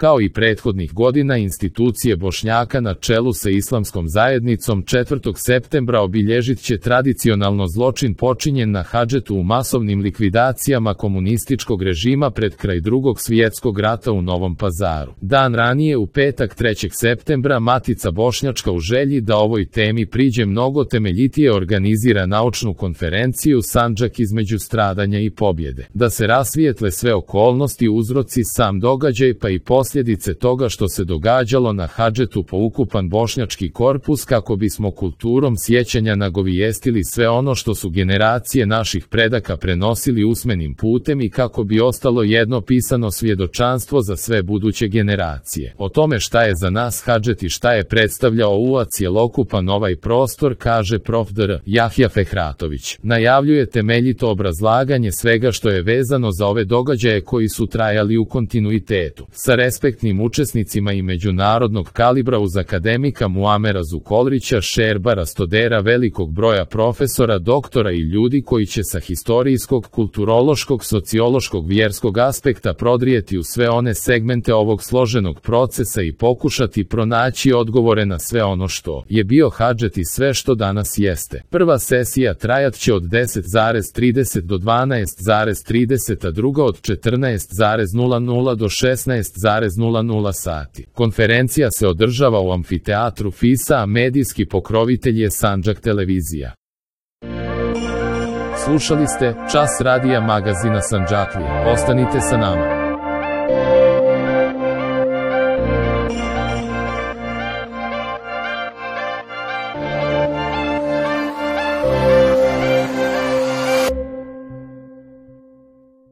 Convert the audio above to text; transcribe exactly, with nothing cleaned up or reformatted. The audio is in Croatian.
Kao i prethodnih godina, institucije Bošnjaka na čelu sa islamskom zajednicom četvrtog septembra obilježit će tradicionalno zločin počinjen na Hadžetu u masovnim likvidacijama komunističkog režima pred kraj Drugog svjetskog rata u Novom Pazaru. Dan ranije, u petak trećeg septembra, Matica bošnjačka u želji da ovoj temi priđe mnogo temeljitije organizira naučnu konferenciju Sandžak između stradanja i pobjede. Da se rasvijetle sve okolnosti, uzroci, sam događaj pa i posljedice toga što se događalo na Hadžetu po ukupan bošnjački korpus, kako bismo kulturom sjećanja nagovijestili sve ono što su generacije naših predaka prenosili usmenim putem i kako bi ostalo jedno pisano svjedočanstvo za sve buduće generacije. O tome šta je za nas Hadžet i šta je predstavljao u cjelokupan ovaj prostor, kaže prof. dr. Jahja Fehratović. Najavljuje temeljito obrazlaganje svega što je vezano za ove događaje koji su trajali u kontinuitetu, sa respektnim učesnicima i međunarodnog kalibra uz akademika Muamera Zukolrića, Šerba Rastodera, velikog broja profesora, doktora i ljudi koji će sa historijskog, kulturološkog, sociološkog, vjerskog aspekta prodrijeti u sve one segmente ovog složenog procesa i pokušati pronaći odgovore na sve ono što je bio Hadžet i sve što danas jeste. Prva sesija trajat će od deset zarez trideset do dvanaest zarez trideset, a druga od četrnaest zarez nula nula do šesnaest zarez nula nula sati. Konferencija se održava u amfiteatru Fisa, a medijski pokrovitelj je Sandžak televizija. Slušali ste Čas radija magazina Sandžaklija. Ostanite sa nama.